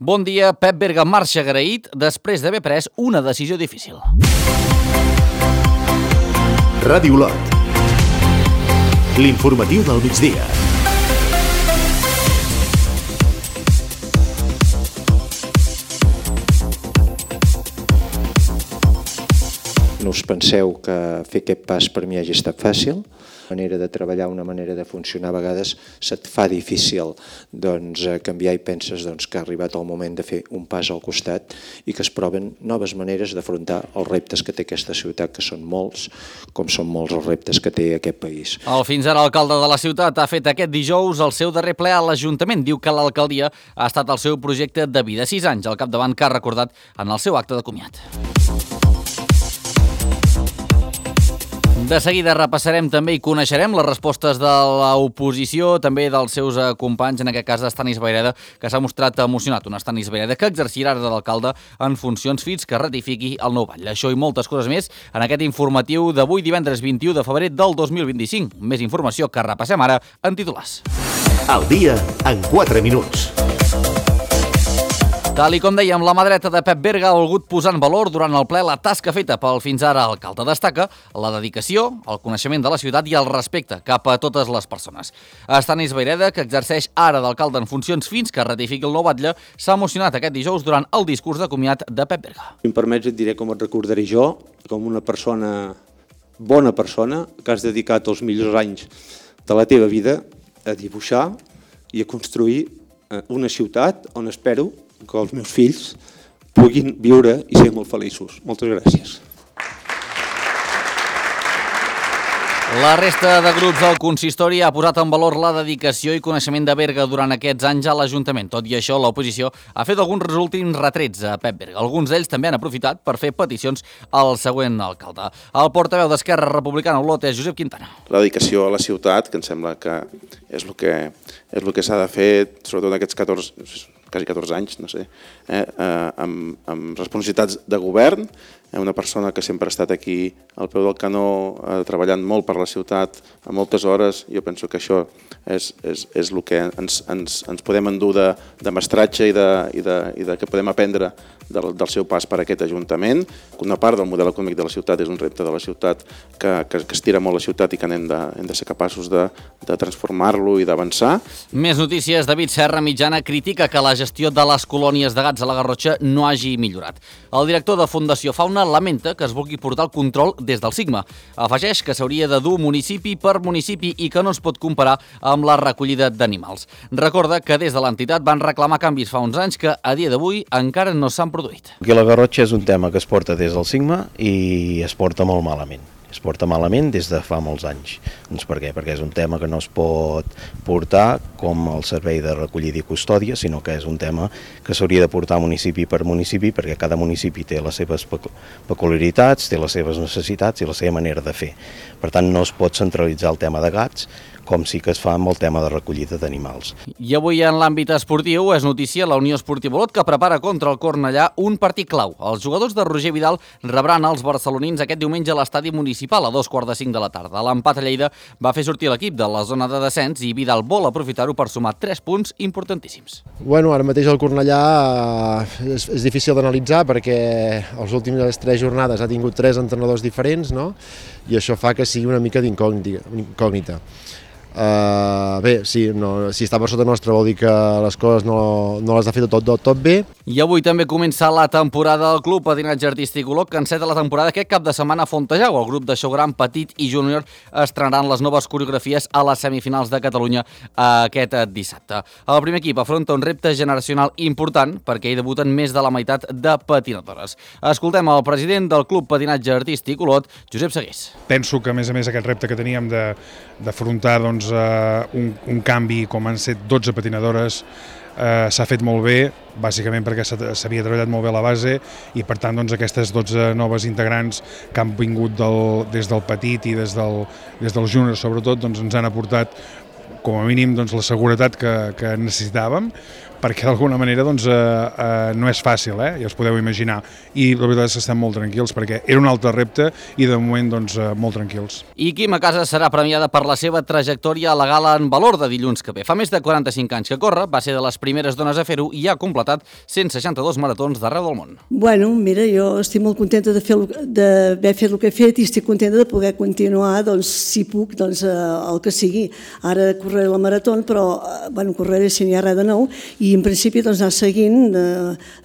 Bon dia, Pep Berga marxa agraït després d'haver pres una decisió difícil. Ràdio Olot. L'informatiu del migdia. No us penseu que fer aquest pas per mi hagi estat fàcil. Una manera de treballar, una manera de funcionar, a vegades se't fa difícil canviar i penses que ha arribat el moment de fer un pas al costat i que es proven noves maneres d'afrontar els reptes que té aquesta ciutat, que són molts, com són molts els reptes que té aquest país. El fins ara alcalde de la ciutat ha fet aquest dijous el seu darrer ple a l'Ajuntament. Diu que l'alcaldia ha estat el seu projecte de vida. 6 anys al capdavant que ha recordat en el seu acte de comiat. De seguida repassarem també i coneixerem les respostes de l'oposició, també dels seus companys, en aquest cas d'Estanis Vayreda, que s'ha mostrat emocionat. Un Estanis Vayreda que exercirà ara d'alcalde en funcions fins que ratifiqui el nou batlle. Això i moltes coses més en aquest informatiu d'avui, divendres 21 de febrer del 2025. Més informació que repassem ara en titulars. El dia en 4 minuts. Tal i com dèiem, la mà dreta de Pep Berga ha volgut posar en valor durant el ple la tasca feta pel fins ara alcalde. Destaca la dedicació, el coneixement de la ciutat i el respecte cap a totes les persones. Estanis Vayreda, que exerceix ara d'alcalde en funcions fins que ratifiqui el nou batlle, s'ha emocionat aquest dijous durant el discurs de comiat de Pep Berga. Si em permets et diré com et recordaré jo, com una persona, bona persona, que has dedicat els millors anys de la teva vida a dibuixar i a construir una ciutat on espero que els meus fills puguin viure i ser molt feliços. Moltes gràcies. La resta de grups del consistori ha posat en valor la dedicació i coneixement de Berga durant aquests anys a l'Ajuntament. Tot i això, l'oposició ha fet alguns últims retrets a Pep Berga. Alguns d'ells també han aprofitat per fer peticions al següent alcalde. El portaveu d'Esquerra Republicana a Olot és Josep Quintana. La dedicació a la ciutat, que em sembla que és el que s'ha de fer, sobretot aquests quasi 14 anys, no sé, amb responsabilitats de govern, una persona que sempre ha estat aquí al peu del canó, treballant molt per la ciutat, a moltes hores. Jo penso que això és el que ens podem endur de mestratge i de que podem aprendre del seu pas per aquest Ajuntament. Una part del model econòmic de la ciutat és un repte de la ciutat que estira molt la ciutat i que hem de ser capaços de transformar-lo i d'avançar. Més notícies. David Serra Mitjana critica que la gestió de les colònies de gats a la Garrotxa no hagi millorat. El director de Fundació Fauna lamenta que es vulgui portar el control des del Sigma. Afegeix que s'hauria de dur municipi per municipi i que no es pot comparar amb la recollida d'animals. Recorda que des de l'entitat van reclamar canvis fa uns anys que a dia d'avui encara no s'han produït. Perquè la Garrotxa és un tema que es porta des del Sigma i es porta molt malament. Es porta malament des de fa molts anys. Doncs per què? Perquè és un tema que no es pot portar com el servei de recollida i custòdia, sinó que és un tema que s'hauria de portar municipi per municipi, perquè cada municipi té les seves peculiaritats, té les seves necessitats i la seva manera de fer. Per tant, no es pot centralitzar el tema de gats, com sí que es fa amb el tema de recollida d'animals. I avui en l'àmbit esportiu és notícia la Unió Esportiva Olot, que prepara contra el Cornellà un partit clau. Els jugadors de Roger Vidal rebran els barcelonins aquest diumenge a l'estadi municipal a 2:45 de la tarda. L'empat a Lleida va fer sortir l'equip de la zona de descens i Vidal vol aprofitar-ho per sumar 3 punts importantíssims. Bueno, ara mateix el Cornellà és difícil d'analitzar perquè els últims 3 jornades ha tingut 3 entrenadors diferents, no? I això fa que sigui una mica d'incògnita. Bé, sí, si està per sota nostra vol dir que les coses no les ha fet tot bé. I avui també comença la temporada del Club Patinatge Artístic Olot, que enceta la temporada aquest cap de setmana a Fontejau. El grup de show gran, petit i júnior estrenaran les noves coreografies a les semifinals de Catalunya aquest dissabte. El primer equip afronta un repte generacional important perquè hi debuten més de la meitat de patinadores. Escoltem el president del Club Patinatge Artístic Olot, Josep Segués. Penso que, a més, aquest repte que teníem d'afrontar un canvi com han set 12 patinadores s'ha fet molt bé, bàsicament perquè s'havia treballat molt bé la base i per tant aquestes 12 noves integrants que han vingut des del petit i des del júnior sobretot ens han aportat com a mínim la seguretat que necessitàvem, perquè d'alguna manera doncs, no és fàcil, ja us podeu imaginar, i la veritat és que estem molt tranquils perquè era un altre repte i de moment doncs, molt tranquils. I Quim Casas serà premiada per la seva trajectòria a la gala en valor de dilluns que ve. Fa més de 45 anys que corre, va ser de les primeres dones a fer-ho i ha completat 162 maratons d'arreu del món. Bueno, mira, jo estic molt contenta d'haver fet el que he fet i estic contenta de poder continuar, doncs, si puc, doncs, el que sigui. Ara correré la marató, però bueno, correré si n'hi ha res de nou i en principi doncs, anar seguint.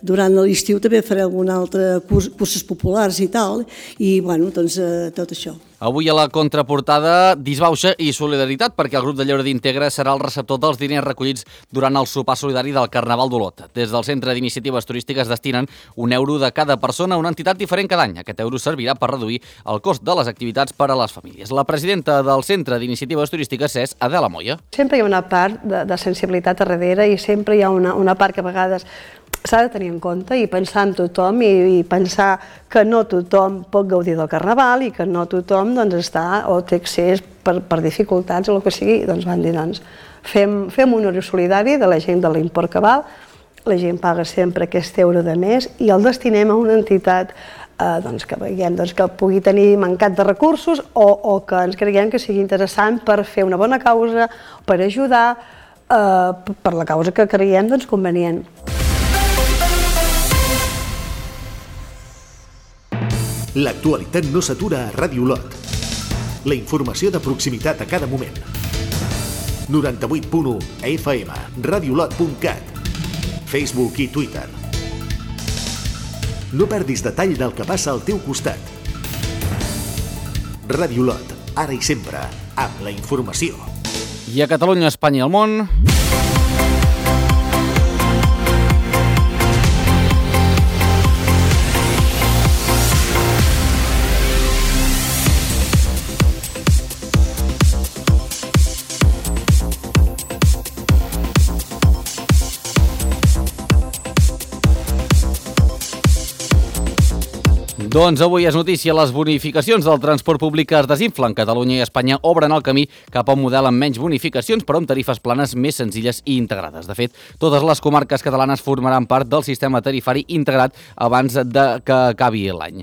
Durant l'estiu també faré algun altre curses populars i tal, i bueno, doncs, tot això. Avui a la contraportada, disbauxa i solidaritat, perquè el grup de Lleure d'Integra serà el receptor dels diners recollits durant el sopar solidari del Carnaval d'Olot. Des del Centre d'Iniciatives Turístiques destinen €1 de cada persona a una entitat diferent cada any. Aquest euro servirà per reduir el cost de les activitats per a les famílies. La presidenta del Centre d'Iniciatives Turístiques és Adela Moya. Sempre hi ha una part de sensibilitat a darrere i sempre hi ha una part que a vegades s'ha de tenir en compte i pensar en tothom i pensar que no tothom pot gaudir del Carnaval i que no tothom doncs, està o té accés per dificultats o el que sigui. Doncs van dir, doncs, fem un euro solidari de la gent de l'import que val, la gent paga sempre aquest euro de més i el destinem a una entitat doncs, que veiem doncs, que pugui tenir mancat de recursos o que ens creiem que sigui interessant per fer una bona causa, per ajudar per la causa que creiem doncs, convenient. L'actualitat no s'atura a Ràdio Olot. La informació de proximitat a cada moment. 98.1 FM, radiolot.cat, Facebook i Twitter. No perdis detall del que passa al teu costat. Ràdio Olot, ara i sempre, amb la informació. I a Catalunya, Espanya i el món... Doncs avui és notícia, les bonificacions del transport públic es desinflen. Catalunya i Espanya obren el camí cap a un model amb menys bonificacions, però amb tarifes planes més senzilles i integrades. De fet, totes les comarques catalanes formaran part del sistema tarifari integrat abans que acabi l'any.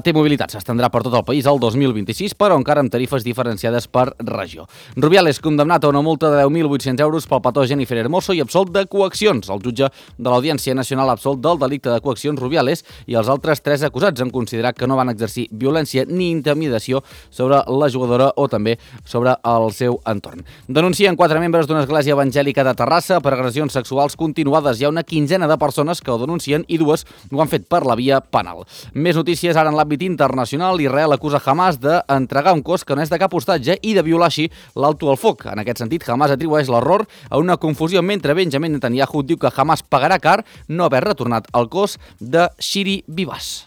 T-Mobilitat s'estendrà per tot el país el 2026, però encara amb tarifes diferenciades per regió. Rubiales, condemnat a una multa de 10.800 euros pel petó Jennifer Hermoso i absolt de coaccions. El jutge de l'Audiència Nacional absolt del delicte de coaccions Rubiales i els altres 3 acusats en considerar que no van exercir violència ni intimidació sobre la jugadora o també sobre el seu entorn. Denuncien 4 membres d'una església evangèlica de Terrassa per agressions sexuals continuades. Hi ha una quinzena de persones que ho denuncien i 2 ho han fet per la via penal. Més notícies ara en l'àmbit internacional. Israel acusa Hamas d'entregar un cos que no és de cap hostatge i de violar així l'alto al foc. En aquest sentit, Hamas atribueix l'error a una confusió mentre Benjamin Netanyahu diu que Hamas pagarà car no haver retornat el cos de Shiri Bibas.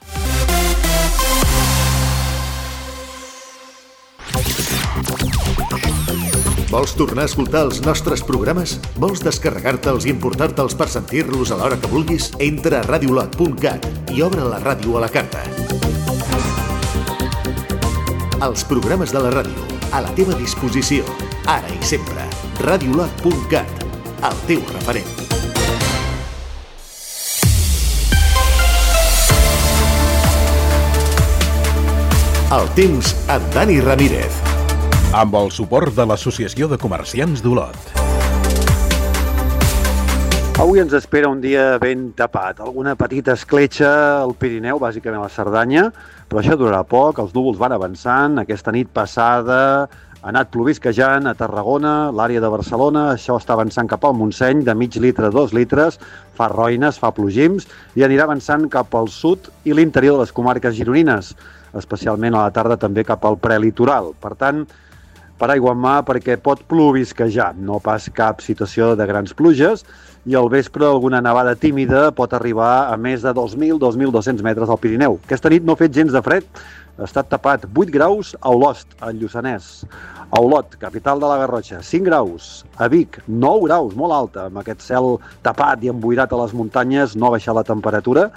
Vols tornar a escoltar els nostres programes? Vols descarregar-te'ls i emportar-te'ls per sentir-los a l'hora que vulguis? Entra a radiolot.cat i obre la ràdio a la carta. Els programes de la ràdio, a la teva disposició, ara i sempre. Radiolot.cat, el teu referent. El temps amb Dani Ramírez. Amb el suport de l'Associació de Comerciants d'Olot. Avui ens espera un dia ben tapat. Alguna petita escletxa al Pirineu, bàsicament a la Cerdanya, però això durarà poc, els núvols van avançant. Aquesta nit passada ha anat plovisquejant a Tarragona, l'àrea de Barcelona, això està avançant cap al Montseny, de mig litre a 2 litres, fa roïnes, fa plogims, i anirà avançant cap al sud i l'interior de les comarques gironines, especialment a la tarda també cap al prelitoral. Per tant, per aigua en mà perquè pot plovisquejar, no pas cap situació de grans pluges, i al vespre alguna nevada tímida pot arribar a més de 2.000-2.200 metres al Pirineu. Aquesta nit no ha fet gens de fred, ha estat tapat 8 graus a Olost, al Lluçanès. A Olot, capital de la Garrotxa, 5 graus. A Vic, 9 graus, molt alta, amb aquest cel tapat i emboirat a les muntanyes, no ha baixat la temperatura.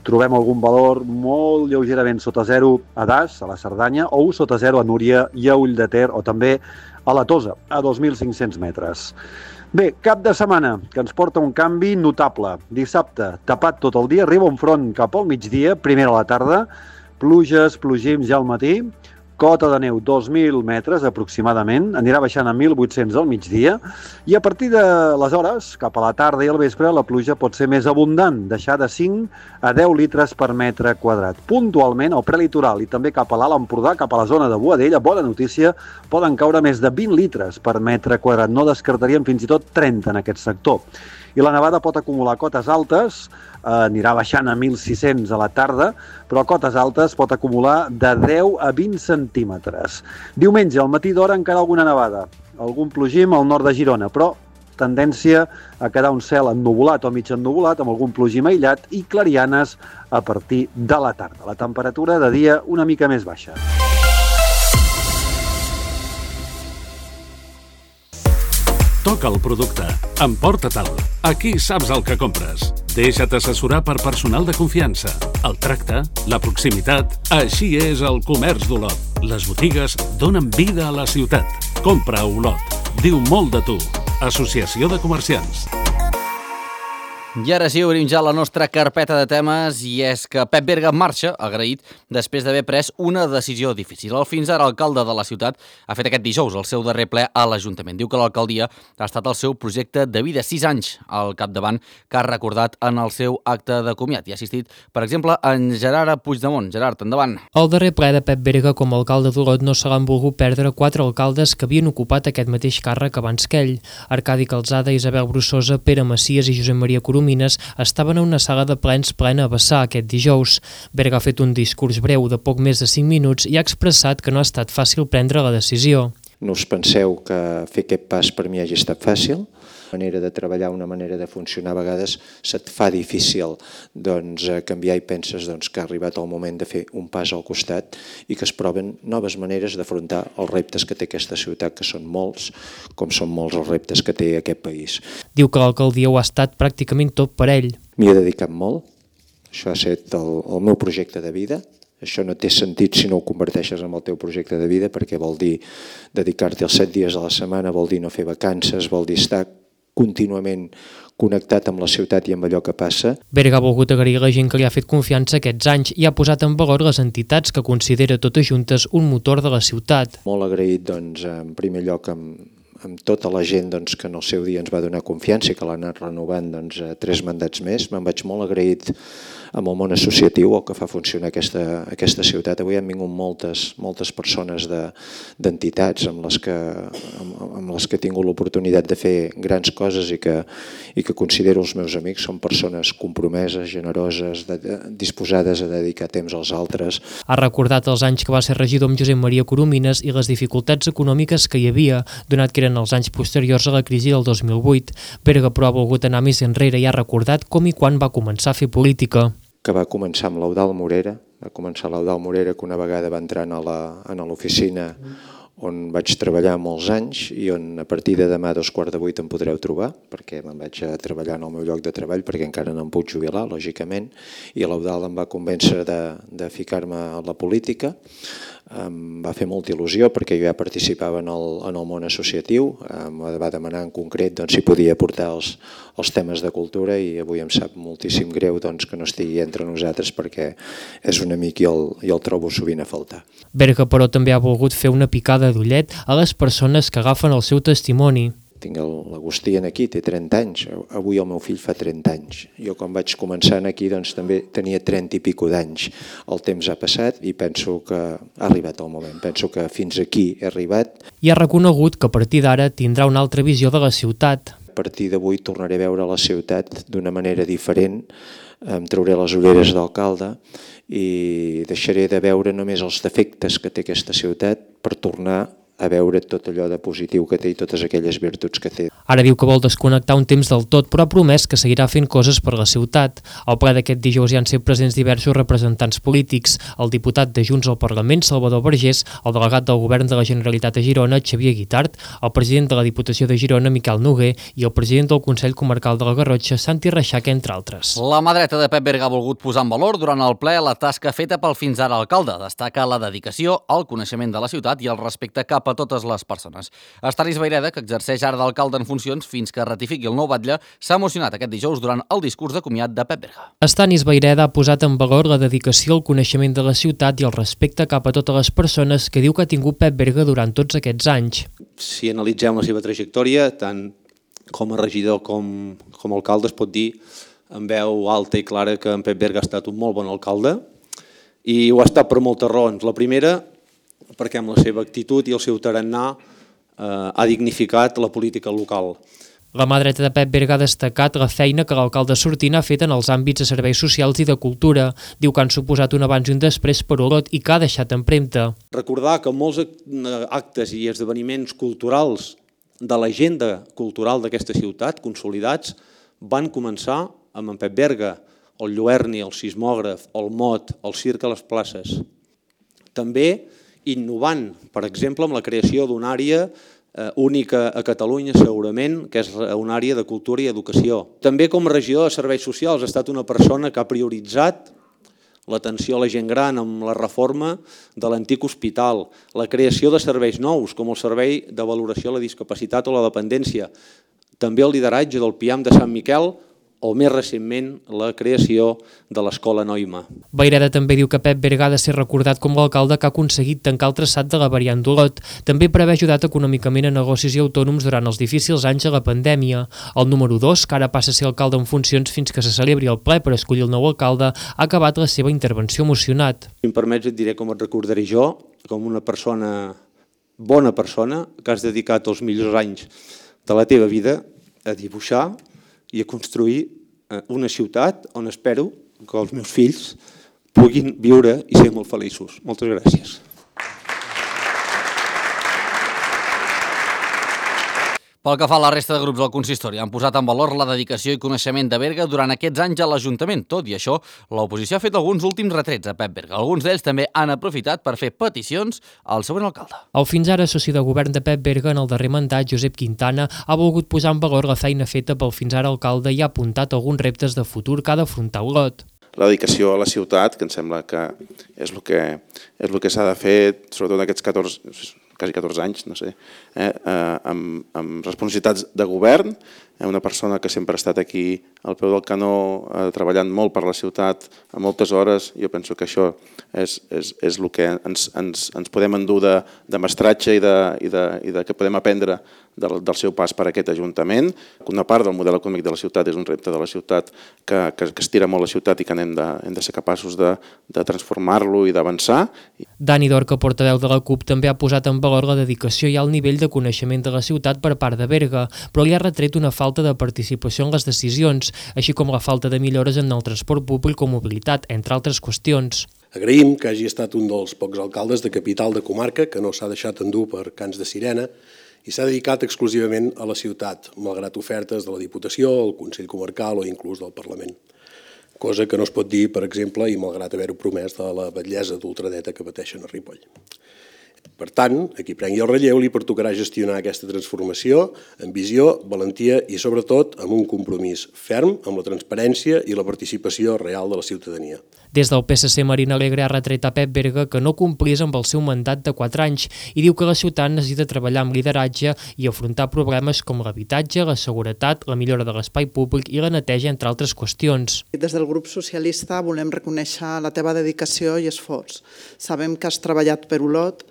Trobem algun valor molt lleugerament sota 0 a Das, a la Cerdanya, o 1 sota 0 a Núria i a Ull de Ter, o també a la Tosa, a 2.500 metres. Bé, cap de setmana, que ens porta un canvi notable. Dissabte, tapat tot el dia, arriba un front cap al migdia, primera a la tarda, pluges, plogims ja al matí, cota de neu 2.000 metres aproximadament, anirà baixant a 1.800 al migdia, i a partir de les hores, cap a la tarda i al vespre, la pluja pot ser més abundant, deixar de 5 a 10 litres per metre quadrat. Puntualment, al prelitoral i també cap a l'Alt Empordà, cap a la zona de Boadella, bona notícia, poden caure més de 20 litres per metre quadrat. No descartaríem fins i tot 30 en aquest sector. I la nevada pot acumular cotes altes, anirà baixant a 1.600 a la tarda, però a cotes altes pot acumular de 10 a 20 centímetres. Diumenge, al matí d'hora, encara alguna nevada, algun plogim al nord de Girona, però tendència a quedar un cel ennuvolat o mig ennuvolat, amb algun plogim aïllat i clarianes a partir de la tarda. La temperatura de dia una mica més baixa. Toca el producte. Emporta-te'l. Aquí saps el que compres. Deixa't assessorar per personal de confiança. El tracte, la proximitat... Així és el comerç d'Olot. Les botigues donen vida a la ciutat. Compra a Olot. Diu molt de tu. Associació de Comerciants. I ara sí, obrim ja la nostra carpeta de temes, i és que Pep Berga marxa, agraït, després d'haver pres una decisió difícil. El fins ara alcalde de la ciutat ha fet aquest dijous el seu darrer ple a l'Ajuntament. Diu que l'alcaldia ha estat el seu projecte de vida, 6 anys al capdavant, que ha recordat en el seu acte de comiat. I ha assistit, per exemple, en Gerard Puigdemont. Gerard, endavant. El darrer ple de Pep Berga com a alcalde d'Olot no se l'han volgut perdre 4 alcaldes que havien ocupat aquest mateix càrrec abans que ell. Arcadi Calzada, Isabel Brussosa, Pere Macias i Josep Maria Coromines estaven a una sala de plens plena a vessar aquest dijous. Berga ha fet un discurs breu de poc més de 5 minuts i ha expressat que no ha estat fàcil prendre la decisió. No us penseu que fer aquest pas per mi hagi estat fàcil. Una manera de treballar, una manera de funcionar, a vegades se't fa difícil canviar i penses que ha arribat el moment de fer un pas al costat i que es proven noves maneres d'afrontar els reptes que té aquesta ciutat, que són molts, com són molts els reptes que té aquest país. Diu que l'alcaldia ho ha estat pràcticament tot per ell. M'hi he dedicat molt, això ha estat el meu projecte de vida. Això no té sentit si no ho converteixes en el teu projecte de vida, perquè vol dir dedicar-te els 7 dies a la setmana, vol dir no fer vacances, vol dir estar contínuament connectat amb la ciutat i amb allò que passa. Berga ha volgut agrair a la gent que li ha fet confiança aquests anys i ha posat en valor les entitats que considera totes juntes un motor de la ciutat. Molt agraït, en primer lloc, amb tota la gent que en el seu dia ens va donar confiança i que l'ha anat renovant 3 mandats més. Me'n vaig molt agraït amb el món associatiu, el que fa funcionar aquesta ciutat. Avui han vingut moltes persones d'entitats amb les que he tingut l'oportunitat de fer grans coses i que considero els meus amics. Són persones compromeses, generoses, disposades a dedicar temps als altres. Ha recordat els anys que va ser regidor amb Josep Maria Coromines i les dificultats econòmiques que hi havia, donat que eren els anys posteriors a la crisi del 2008. Berga, però, ha volgut anar més enrere i ha recordat com i quan va començar a fer política. Que va començar amb l'Eudald Morera, que una vegada va entrar a l'oficina on vaig treballar molts anys i on a partir de demà a 7:45 em podreu trobar, perquè me'n vaig a treballar en el meu lloc de treball, perquè encara no em puc jubilar, lògicament, i l'Eudald em va convèncer de ficar-me a la política. Em va fer molta il·lusió perquè jo ja participava en el món associatiu, em va demanar en concret si podia portar els temes de cultura i avui em sap moltíssim greu que no estigui entre nosaltres perquè és un amic i el trobo sovint a faltar. Berga, però, també ha volgut fer una picada d'ullet a les persones que agafen el seu testimoni. Tinc l'Agustí aquí, té 30 anys, avui el meu fill fa 30 anys. Jo quan vaig començar aquí també tenia 30 i pico d'anys. El temps ha passat i penso que ha arribat el moment, penso que fins aquí he arribat. I ha reconegut que a partir d'ara tindrà una altra visió de la ciutat. A partir d'avui tornaré a veure la ciutat d'una manera diferent, em trauré les ulleres d'alcalde i deixaré de veure només els defectes que té aquesta ciutat per tornar a veure tot allò de positiu que té i totes aquelles virtuts que té. Ara diu que vol desconnectar un temps del tot, però ha promès que seguirà fent coses per la ciutat. Al ple d'aquest dijous hi han sigut presents diversos representants polítics, el diputat de Junts al Parlament, Salvador Vergés, el delegat del Govern de la Generalitat a Girona, Xavier Guitart, el president de la Diputació de Girona, Miquel Noguer, i el president del Consell Comarcal de la Garrotxa, Santi Reixac, entre altres. La mà dreta de Pep Berga ha volgut posar en valor durant el ple la tasca feta pel fins ara alcalde. Destaca la dedicació, el coneixement de la ciutat i el respecte cap cap a totes les persones. Estanis Vayreda, que exerceix ara d'alcalde en funcions fins que ratifiqui el nou batlle, s'ha emocionat aquest dijous durant el discurs de comiat de Pep Berga. Estanis Vayreda ha posat en valor la dedicació al coneixement de la ciutat i el respecte cap a totes les persones que diu que ha tingut Pep Berga durant tots aquests anys. Si analitzem la seva trajectòria, tant com a regidor com a alcalde, es pot dir amb veu alta i clara que en Pep Berga ha estat un molt bon alcalde i ho ha estat per moltes raons. La primera, perquè amb la seva actitud i el seu tarannà ha dignificat la política local. La mà dreta de Pep Berga ha destacat la feina que l'alcalde sortint ha fet en els àmbits de serveis socials i de cultura. Diu que han suposat un abans i un després per Olot i que ha deixat empremta. Recordar que molts actes i esdeveniments culturals de l'agenda cultural d'aquesta ciutat, consolidats, van començar amb en Pep Berga, el Lluerni, el sismògraf, el Mot, el circ a les places. També innovant, per exemple, amb la creació d'una àrea única a Catalunya, segurament, que és una àrea de cultura i educació. També com a regidor de serveis socials ha estat una persona que ha prioritzat l'atenció a la gent gran amb la reforma de l'antic hospital, la creació de serveis nous, com el servei de valoració a la discapacitat o la dependència, també el lideratge del PIAM de Sant Miquel, o més recentment la creació de l'Escola Noima. Vayreda també diu que Pep Berga ha de ser recordat com l'alcalde que ha aconseguit tancar el traçat de la variant d'Olot, també per haver ajudat econòmicament a negocis i autònoms durant els difícils anys de la pandèmia. El número 2, que ara passa a ser alcalde en funcions fins que se celebri el ple per escollir el nou alcalde, ha acabat la seva intervenció emocionat. Si em permets, et diré com et recordaré jo, com una persona, bona persona, que has dedicat els millors anys de la teva vida a dibuixar i a construir una ciutat on espero que els meus fills puguin viure i ser molt feliços. Moltes gràcies. Pel que fa a la resta de grups del consistori, han posat en valor la dedicació i coneixement de Berga durant aquests anys a l'Ajuntament. Tot i això, l'oposició ha fet alguns últims retrets a Pep Berga. Alguns d'ells també han aprofitat per fer peticions al següent alcalde. El fins ara soci de govern de Pep Berga en el darrer mandat, Josep Quintana, ha volgut posar en valor la feina feta pel fins ara alcalde i ha apuntat alguns reptes de futur que ha d'afrontar Olot. La dedicació a la ciutat, que em sembla que és el que s'ha de fer, sobretot aquests quasi 14 anys, no sé, amb responsabilitats de govern, una persona que sempre ha estat aquí al peu del canó, treballant molt per la ciutat a moltes hores. Jo penso que això és el que ens podem endur de mestratge i de que podem aprendre del seu pas per aquest Ajuntament. Una part del model econòmic de la ciutat és un repte de la ciutat que estira molt la ciutat i que hem de ser capaços de transformar-lo i d'avançar. Dani Dorca, portaveu de la CUP, també ha posat en valor la dedicació i el nivell de coneixement de la ciutat per part de Berga, però li ha retret una falta de participació en les decisions, així com la falta de millores en el transport públic o mobilitat, entre altres qüestions. Agraïm que hagi estat un dels pocs alcaldes de capital de comarca que no s'ha deixat endur per cants de sirena i s'ha dedicat exclusivament a la ciutat, malgrat ofertes de la Diputació, el Consell Comarcal o inclús del Parlament. Cosa que no es pot dir, per exemple, i malgrat haver-ho promès, de la batllessa d'ultradreta que pateixen a Ripoll. Per tant, a qui prengui el relleu li pertocarà gestionar aquesta transformació amb visió, valentia i, sobretot, amb un compromís ferm amb la transparència i la participació real de la ciutadania. Des del PSC, Marina Alegre ha retret a Pep Berga que no complís amb el seu mandat de 4 anys i diu que la ciutat necessita treballar amb lideratge i afrontar problemes com l'habitatge, la seguretat, la millora de l'espai públic i la neteja, entre altres qüestions. Des del grup socialista volem reconèixer la teva dedicació i esforç. Sabem que has treballat per Olot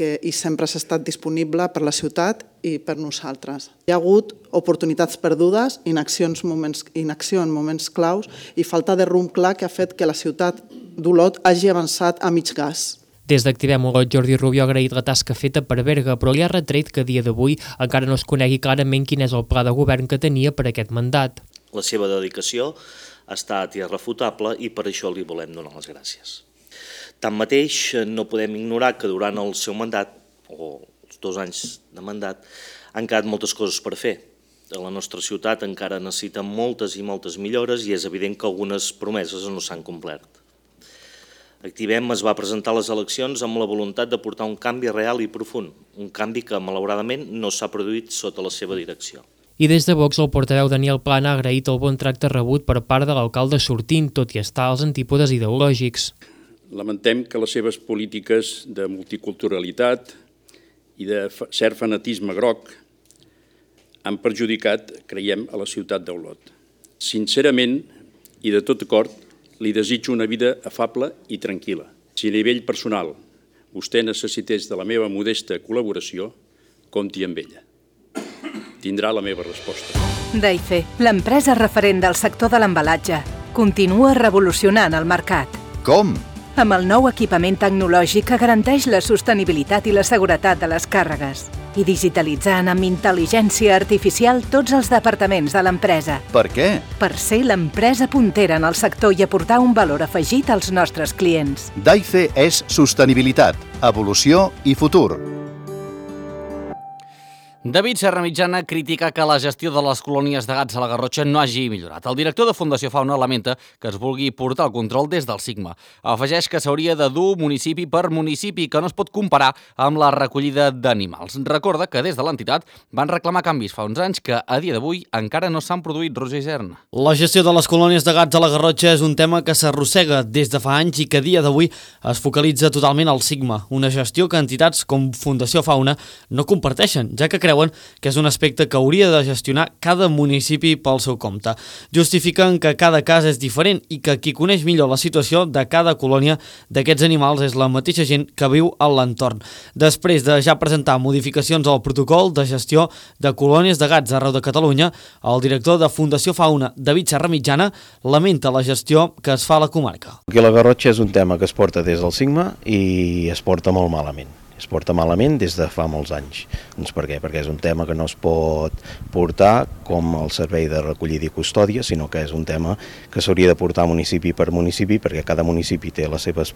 i sempre has estat disponible per la ciutat i per nosaltres. Hi ha hagut oportunitats perdudes, inacció en moments claus i falta de rumb clar que ha fet que la ciutat d'Olot hagi avançat a mig gas. Des d'Activem Olot, Jordi Rubio ha agraït la tasca feta per Berga, però li ha retret que a dia d'avui encara no es conegui clarament quin és el pla de govern que tenia per aquest mandat. La seva dedicació ha estat irrefutable i per això li volem donar les gràcies. Tanmateix, no podem ignorar que durant el seu mandat, o els 2 anys de mandat, han quedat moltes coses per fer. La nostra ciutat encara necessita moltes i moltes millores i és evident que algunes promeses no s'han complert. Activem es va presentar a les eleccions amb la voluntat de portar un canvi real i profund, un canvi que malauradament no s'ha produït sota la seva direcció. I des de Vox, el portaveu Daniel Plana ha agraït el bon tracte rebut per part de l'alcalde sortint, tot i estar als antípodes ideològics. Lamentem que les seves polítiques de multiculturalitat i de cert fanatisme groc han perjudicat, creiem, a la ciutat d'Olot. Sincerament i de tot cor, li desitjo una vida afable i tranquil·la. Si a nivell personal vostè necessités de la meva modesta col·laboració, compti amb ella. Tindrà la meva resposta. Daife, l'empresa referent del sector de l'embalatge, continua revolucionant el mercat. Com? Amb el nou equipament tecnològic que garanteix la sostenibilitat i la seguretat de les càrregues i digitalitzant amb intel·ligència artificial tots els departaments de l'empresa. Per què? Per ser l'empresa puntera en el sector i aportar un valor afegit als nostres clients. Daife és sostenibilitat, evolució i futur. David Serramitjana critica que la gestió de les colònies de gats a la Garrotxa no hagi millorat. El director de Fundació Fauna lamenta que es vulgui portar el control des del Sigma. Afegeix que s'hauria de dur municipi per municipi, que no es pot comparar amb la recollida d'animals. Recorda que des de l'entitat van reclamar canvis fa uns anys que a dia d'avui encara no s'han produït. Roger Isern. La gestió de les colònies de gats a la Garrotxa és un tema que s'arrossega des de fa anys i que a dia d'avui es focalitza totalment al Sigma, una gestió que entitats com Fundació Fauna no comparteixen, ja que creuen que és un aspecte que hauria de gestionar cada municipi pel seu compte. Justifiquen que cada cas és diferent i que qui coneix millor la situació de cada colònia d'aquests animals és la mateixa gent que viu a l'entorn. Després de ja presentar modificacions al protocol de gestió de colònies de gats arreu de Catalunya, el director de Fundació Fauna, David Serramitjana, lamenta la gestió que es fa a la comarca. Aquí la Garrotxa és un tema que es porta des del Sigma i es porta molt malament. Es porta malament des de fa molts anys. Doncs per què? Perquè és un tema que no es pot portar com el servei de recollida i custòdia, sinó que és un tema que s'hauria de portar municipi per municipi, perquè cada municipi té les seves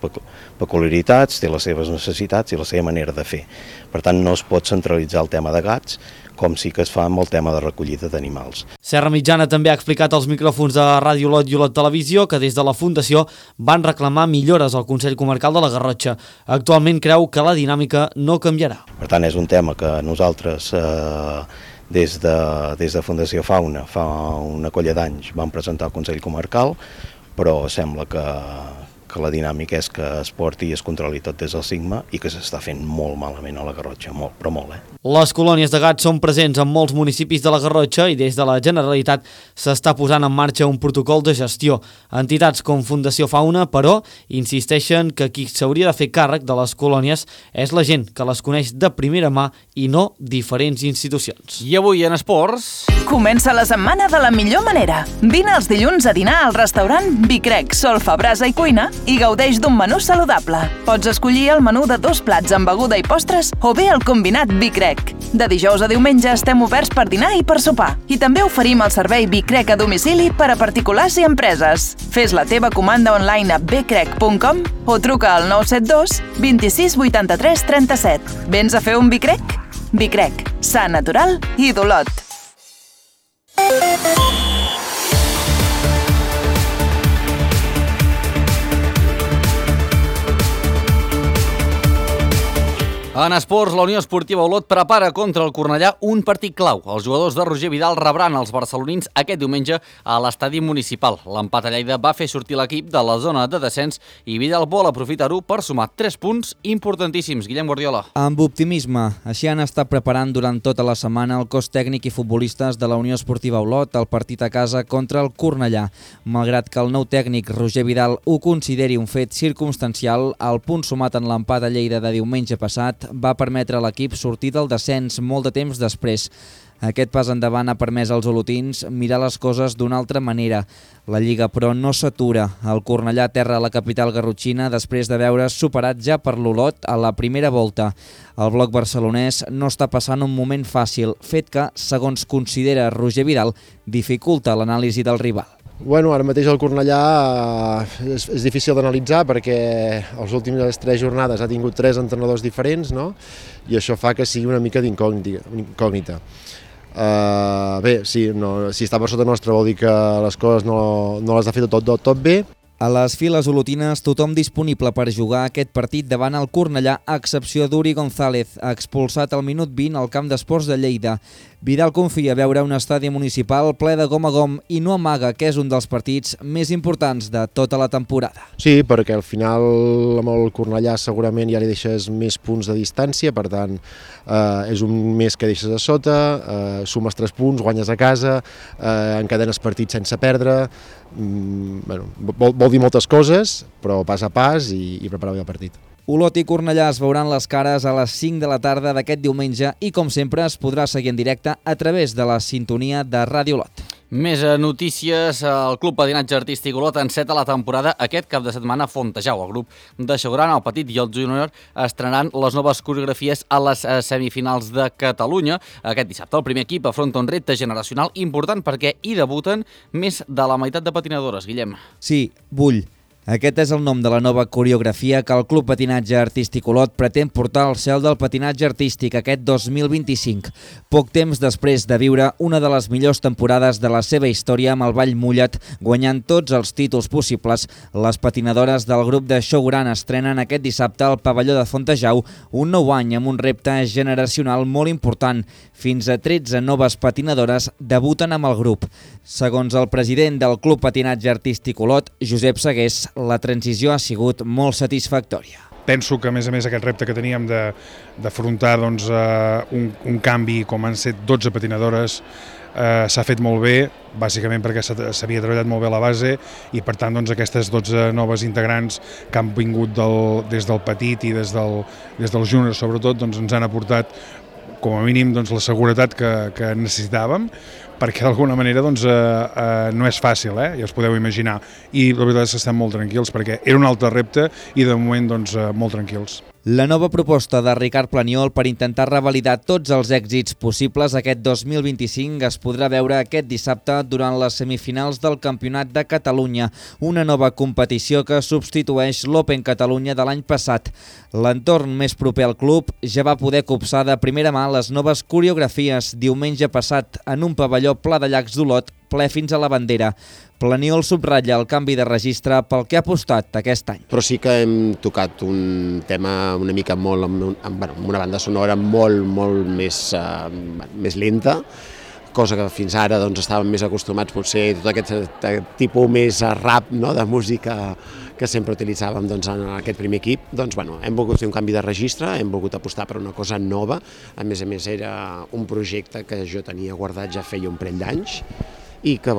peculiaritats, té les seves necessitats i la seva manera de fer. Per tant, no es pot centralitzar el tema de gats, com sí que es fa amb el tema de recollida d'animals. Serramitjana també ha explicat als micròfons de Ràdio Olot i Olot Televisió que des de la Fundació van reclamar millores al Consell Comarcal de la Garrotxa. Actualment creu que la dinàmica no canviarà. Per tant, és un tema que nosaltres des de Fundació Fauna fa una colla d'anys vam presentar al Consell Comarcal, però sembla que la dinàmica és que es porti i es controli tot des del Sigma i que s'està fent molt malament a la Garrotxa, molt, però molt, Les colònies de gats són presents en molts municipis de la Garrotxa i des de la Generalitat s'està posant en marxa un protocol de gestió. Entitats com Fundació Fauna, però, insisteixen que qui s'hauria de fer càrrec de les colònies és la gent que les coneix de primera mà i no diferents institucions. I avui en esports... Comença la setmana de la millor manera. Vine els dilluns a dinar al restaurant Bicrec, Solfa, Brasa i Cuina i gaudeix d'un menú saludable. Pots escollir el menú de 2 plats amb beguda i postres o bé el combinat Bicrec. De dijous a diumenge estem oberts per dinar i per sopar. I també oferim el servei Bicrec a domicili per a particulars i empreses. Fes la teva comanda online a bcrec.com o truca al 972 26 83 37. Vens a fer un Bicrec? Bicrec, sa, natural i d'Olot. En esports, la Unió Esportiva Olot prepara contra el Cornellà un partit clau. Els jugadors de Roger Vidal rebran els barcelonins aquest diumenge a l'estadi municipal. L'empat a Lleida va fer sortir l'equip de la zona de descens i Vidal vol aprofitar-ho per sumar 3 punts importantíssims. Guillem Guardiola. Amb optimisme, així han estat preparant durant tota la setmana el cos tècnic i futbolistes de la Unió Esportiva Olot el partit a casa contra el Cornellà. Malgrat que el nou tècnic Roger Vidal ho consideri un fet circumstancial, el punt sumat en l'empat a Lleida de diumenge passat va permetre a l'equip sortir del descens molt de temps després. Aquest pas endavant ha permès als olotins mirar les coses d'una altra manera. La Lliga, però, no s'atura. El Cornellà aterra a la capital garrotxina després de veure's superat ja per l'Olot a la primera volta. El bloc barcelonès no està passant un moment fàcil, fet que, segons considera Roger Vidal, dificulta l'anàlisi del rival. Bueno, ara mateix el Cornellà és difícil d'analitzar perquè les últimes 3 jornades ha tingut 3 entrenadors diferents, no? I això fa que sigui una mica d'incògnita. Bé, sí, si està per sota nostra vol dir que les coses no les ha fet tot bé. A les files olotines, tothom disponible per jugar aquest partit davant el Cornellà, a excepció d'Uri González, expulsat al minut 20 al camp d'esports de Lleida. Vidal confia veure un estadi municipal ple de gom a gom i no amaga que és un dels partits més importants de tota la temporada. Sí, perquè al final amb el Cornellà segurament ja li deixes més punts de distància, per tant és un mes que deixes a sota, sumes 3 punts, guanyes a casa, encadenes partits sense perdre, vol dir moltes coses, però pas a pas i preparar bé el partit. Olot i Cornellà es veuran les cares a les 5 de la tarda d'aquest diumenge i, com sempre, es podrà seguir en directe a través de la sintonia de Ràdio Olot. Més notícies. El Club Patinatge Artístic Olot enceta la temporada aquest cap de setmana a Fontejau. El grup de Xogran, el Petit i el Júnior estrenaran les noves coreografies a les semifinals de Catalunya. Aquest dissabte el primer equip afronta un repte generacional important perquè hi debuten més de la meitat de patinadores. Guillem. Sí, Bull. Aquest és el nom de la nova coreografia que el Club Patinatge Artístic Olot pretén portar al cel del patinatge artístic aquest 2025. Poc temps després de viure una de les millors temporades de la seva història amb el ball mullat, guanyant tots els títols possibles, les patinadores del grup de Xogran estrenen aquest dissabte al pavelló de Fontejau un nou any amb un repte generacional molt important. Fins a 13 noves patinadores debuten amb el grup. Segons el president del Club Patinatge Artístic Olot, Josep Segués, la transició ha sigut molt satisfactòria. Penso que, a més, aquest repte que teníem d'afrontar un canvi com han set 12 patinadores s'ha fet molt bé, bàsicament perquè s'havia treballat molt bé a la base i, per tant, aquestes 12 noves integrants que han vingut des del petit i des del júnior, sobretot, ens han aportat com a mínim la seguretat que necessitàvem, perquè d'alguna manera no és fàcil, ja us podeu imaginar. I la veritat és que estem molt tranquils, perquè era un altre repte i de moment molt tranquils. La nova proposta de Ricard Planiol per intentar revalidar tots els èxits possibles aquest 2025 es podrà veure aquest dissabte durant les semifinals del Campionat de Catalunya, una nova competició que substitueix l'Open Catalunya de l'any passat. L'entorn més proper al club ja va poder copsar de primera mà les noves coreografies diumenge passat en un pavelló pla de llacs d'Olot, ple fins a la bandera. Planiol subratlla el canvi de registre pel que ha apostat aquest any. Però sí que hem tocat un tema una mica molt, amb una banda sonora molt més lenta, cosa que fins ara estàvem més acostumats potser a tot aquest tipus més rap de música que sempre utilitzàvem en aquest primer equip. Hem volgut fer un canvi de registre, hem volgut apostar per una cosa nova, a més era un projecte que jo tenia guardat ja feia un parell d'anys i que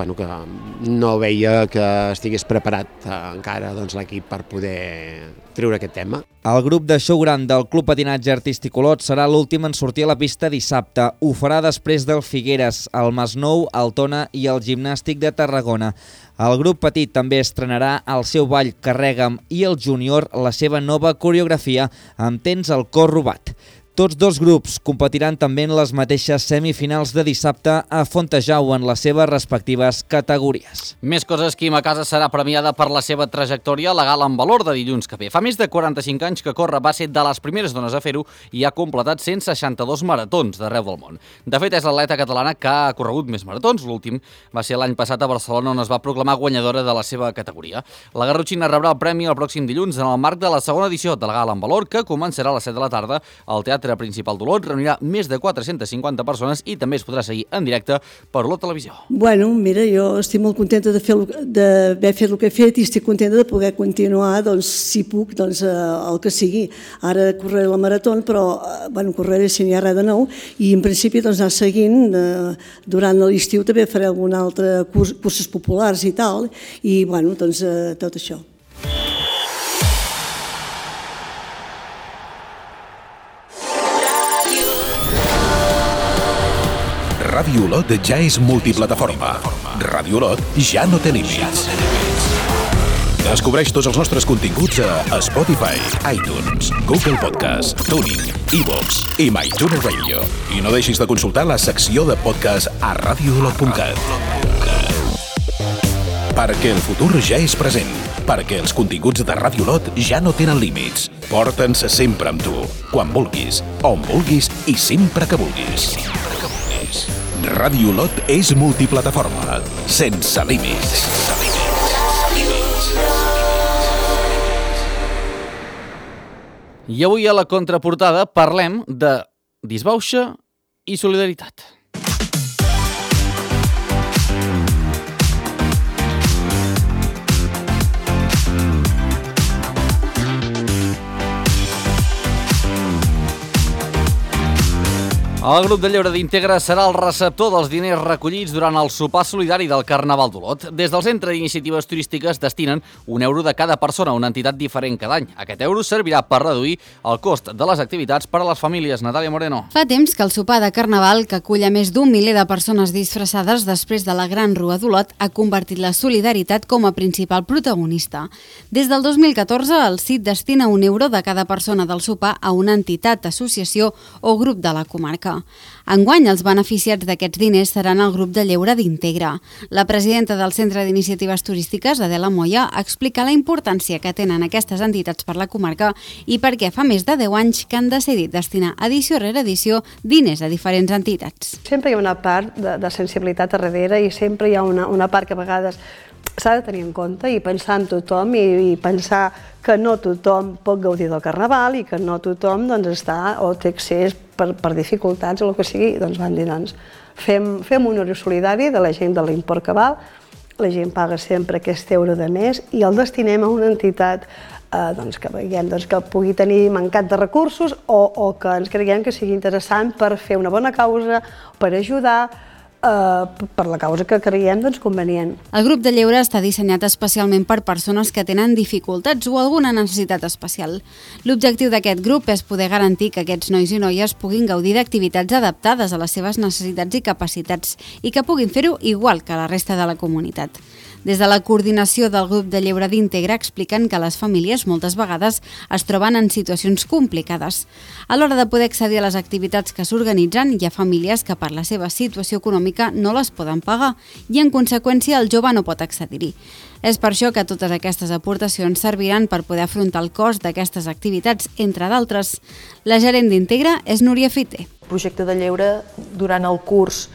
no veia que estigués preparat encara l'equip per poder treure aquest tema. El grup de Xogran del Club Patinatge Artístic Olot serà l'últim en sortir a la pista dissabte. Ho farà després del Figueres, el Masnou, el Tona i el Gimnàstic de Tarragona. El grup petit també estrenarà el seu ball Carrega'm i el júnior la seva nova coreografia amb Tens el cor robat. Tots dos grups competiran també en les mateixes semifinals de dissabte a Fontejau en les seves respectives categories. Més coses. Quim Acasa serà premiada per la seva trajectòria a la gala en valor de dilluns que ve. Fa més de 45 anys que corre, va ser de les primeres dones a fer-ho i ha completat 162 maratons d'arreu del món. De fet, és l'atleta catalana que ha corregut més maratons. L'últim va ser l'any passat a Barcelona, on es va proclamar guanyadora de la seva categoria. La garrotxina rebrà el premi el pròxim dilluns en el marc de la segona edició de la gala en valor, que començarà a les 7 de la tarda al Teatre Principal d'Olot. Reunirà més de 450 persones i també es podrà seguir en directe per Olot Televisió. Bueno, mira, jo estic molt contenta d'haver fet el que he fet i estic contenta de poder continuar, si puc, el que sigui. Ara correré la marató, però correré si n'hi ha res de nou i en principi anar seguint. Durant l'estiu també faré algun altre cursos populars i tal, i tot això. Ràdio Olot ja és multiplataforma. Ràdio Olot ja no té límits. Descobreix tots els nostres continguts a Spotify, iTunes, Google Podcast, TuneIn, iVoox i MyTuner Radio. I no deixis de consultar la secció de podcast a radioolot.cat. Perquè el futur ja és present. Perquè els continguts de Ràdio Olot ja no tenen límits. Porta'ns sempre amb tu, quan vulguis, on vulguis i sempre que vulguis. Ràdio Olot és multiplataforma, sense límits. I avui a la contraportada parlem de disbauxa i solidaritat. El grup de lleure d'Integra serà el receptor dels diners recollits durant el sopar solidari del Carnaval d'Olot. Des del Centre d'Iniciatives Turístiques destinen €1 de cada persona a una entitat diferent cada any. Aquest euro servirà per reduir el cost de les activitats per a les famílies. Natàlia Moreno. Fa temps que el sopar de Carnaval, que acull a més d'un miler de persones disfressades després de la Gran Rua d'Olot, ha convertit la solidaritat com a principal protagonista. Des del 2014, el CIT destina €1 de cada persona del sopar a una entitat, associació o grup de la comarca. Enguany, els beneficiats d'aquests diners seran el grup de lleure d'Integra. La presidenta del Centre d'Iniciatives Turístiques, Adela Moya, explica la importància que tenen aquestes entitats per la comarca i per què fa més de 10 anys que han decidit destinar edició rere edició diners a diferents entitats. Sempre hi ha una part de sensibilitat a darrere i sempre hi ha una part que a vegades s'ha de tenir en compte i pensar en tothom i pensar que no tothom pot gaudir del Carnaval i que no tothom està o té accés per dificultats o el que sigui. Doncs van dir, fem un euro solidari de la gent de l'import que val, la gent paga sempre aquest euro de més i el destinem a una entitat que veiem que pugui tenir mancat de recursos o que ens creiem que sigui interessant per fer una bona causa, per ajudar, per la causa que creiem convenient. El grup de lleure està dissenyat especialment per persones que tenen dificultats o alguna necessitat especial. L'objectiu d'aquest grup és poder garantir que aquests nois i noies puguin gaudir d'activitats adaptades a les seves necessitats i capacitats i que puguin fer-ho igual que la resta de la comunitat. Des de la coordinació del grup de lleure d'Integra expliquen que les famílies moltes vegades es troben en situacions complicades. A l'hora de poder accedir a les activitats que s'organitzen, hi ha famílies que per la seva situació econòmica no les poden pagar i en conseqüència el jove no pot accedir-hi. És per això que totes aquestes aportacions serviran per poder afrontar el cost d'aquestes activitats, entre d'altres. La gerent d'Integra és Núria Fité. El projecte de lleure durant el curs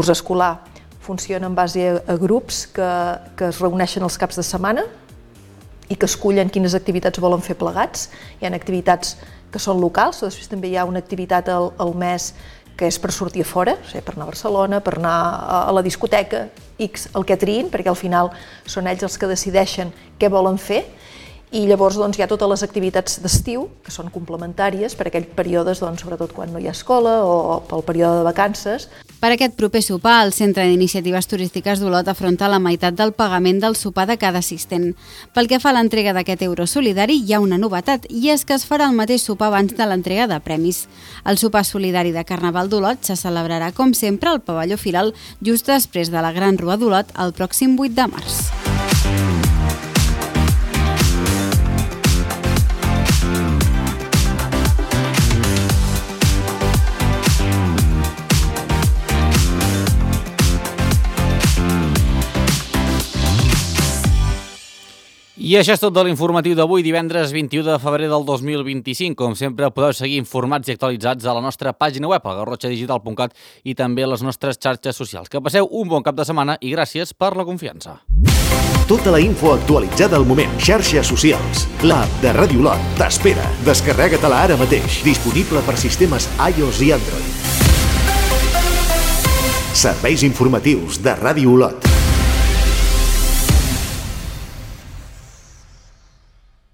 escolar funciona en base a grups que es reuneixen els caps de setmana i que escullen quines activitats volen fer plegats. Hi ha activitats que són locals, després també hi ha una activitat al mes que és per sortir a fora, per anar a Barcelona, per anar a la discoteca, X, el que triïn, perquè al final són ells els que decideixen què volen fer. I llavors hi ha totes les activitats d'estiu, que són complementàries per aquells períodes, sobretot quan no hi ha escola o pel període de vacances. Per aquest proper sopar, el Centre d'Iniciatives Turístiques d'Olot afronta la meitat del pagament del sopar de cada assistent. Pel que fa a l'entrega d'aquest euro solidari, hi ha una novetat, i és que es farà el mateix sopar abans de l'entrega de premis. El sopar solidari de Carnaval d'Olot se celebrarà, com sempre, al pavelló Firal, just després de la Gran Rua d'Olot, el pròxim 8 de març. I això és tot de l'informatiu d'avui, divendres 21 de febrer del 2025. Com sempre, podeu seguir informats i actualitzats a la nostra pàgina web, a garrotxadigital.cat, i també a les nostres xarxes socials. Que passeu un bon cap de setmana i gràcies per la confiança. Tota la info actualitzada al moment. Xarxes socials. L'app de Ràdio Olot t'espera. Descarrega-te-la ara mateix. Disponible per sistemes iOS i Android. Serveis informatius de Ràdio Olot.